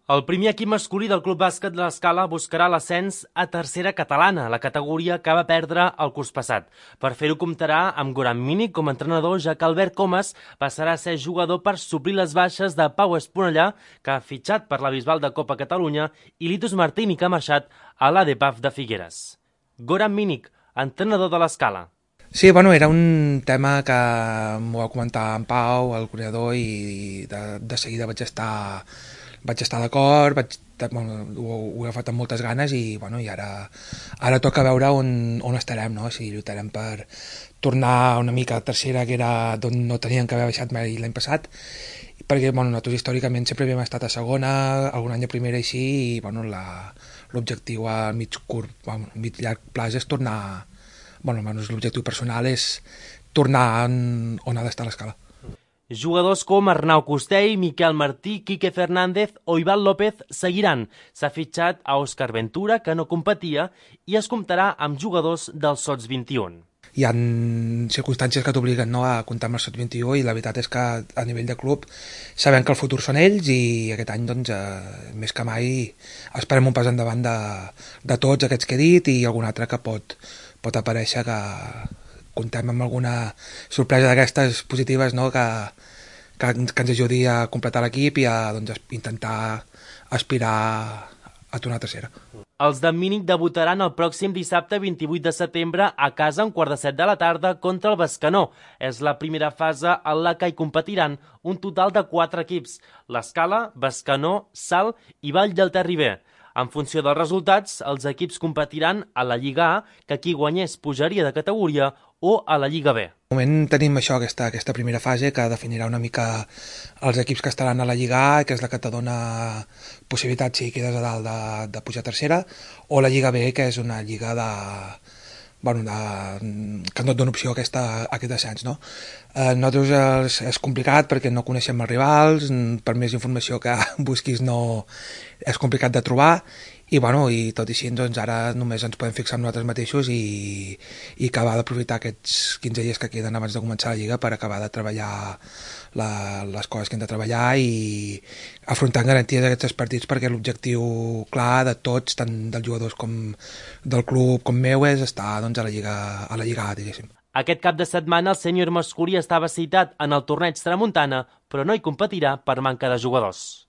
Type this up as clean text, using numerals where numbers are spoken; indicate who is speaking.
Speaker 1: El primer equip masculí del Club Bàsquet de l'Escala buscarà l'ascens a tercera catalana, la categoria que va perdre el curs passat. Per fer-ho comptarà amb Goran Minic com a entrenador, ja que Albert Comas passarà a ser jugador per suplir les baixes de Pau Esponellà, que ha fitxat per la Bisbal de Copa Catalunya, i Litus Martini, que ha marxat a l'ADPAF de Figueres. Goran Minic, entrenador de l'Escala.
Speaker 2: Sí, bueno, era un tema que m'ho va comentar en Pau, el coordinador, i de seguida vaig estar d'acord, bueno, ho he agafat amb moltes ganes i, bueno, i ara toca veure on estarem, no? Si lluitarem per tornar una mica a tercera, que era d'on no tenien que haver baixat mai l'any passat, perquè, bueno, nosaltres històricament sempre havíem estat a segona, algun any a primera i sí, i, bueno, l'objectiu a mig llarg plaç és tornar, bueno, almenys l'objectiu personal és tornar on ha d'estar l'Escala.
Speaker 1: Jugadors com Arnau Costell, Miquel Martí, Quique Fernández o Ivan López seguiran. S'ha fitxat a Òscar Ventura, que no competia, i es comptarà amb jugadors dels Sots 21.
Speaker 2: Hi ha circumstàncies que t'obliguen, no, a comptar amb els Sots 21, i la veritat és que a nivell de club sabem que el futur són ells, i aquest any, doncs, més que mai esperem un pas endavant de tots aquests que he dit i algun altre que pot aparèixer, que comptem amb alguna sorpresa d'aquestes positives, no? que ens ajudi a completar l'equip i a, doncs, intentar aspirar a tornar a tercera.
Speaker 1: Els de Mínic debutaran el pròxim dissabte 28 de setembre a casa a 6:45 de la tarda contra el Bescanó. És la primera fase en la que hi competiran un total de 4 equips: l'Escala, Bescanó, Salt i Vall del Terriber. En funció dels resultats, els equips competiran a la Lliga A, que qui guanyés pujaria de categoria, o a la Lliga B.
Speaker 2: De moment tenim això, aquesta primera fase, que definirà una mica els equips que estaran a la Lliga A, que és la que te dona possibilitat, si quedes a dalt, de pujar a tercera, o la Lliga B, que és una lliga que no et dona opció a aquest ascens, no? Nosaltres és complicat perquè no coneixem els rivals, per més informació que busquis no és complicat de trobar, i, bueno, i tot i així, doncs, ara només ens podem fixar en nosaltres mateixos i acabar d'aprofitar aquests 15 dies que queden abans de començar la Lliga per acabar de treballar les coses que hem de treballar i afrontar amb garanties aquests partits, perquè l'objectiu clar de tots, tant dels jugadors com del club com meu, és estar, doncs, a la Lliga A, diguéssim.
Speaker 1: Aquest cap de setmana el sènior masculí estava citat en el torneig Tramuntana, però no hi competirà per manca de jugadors.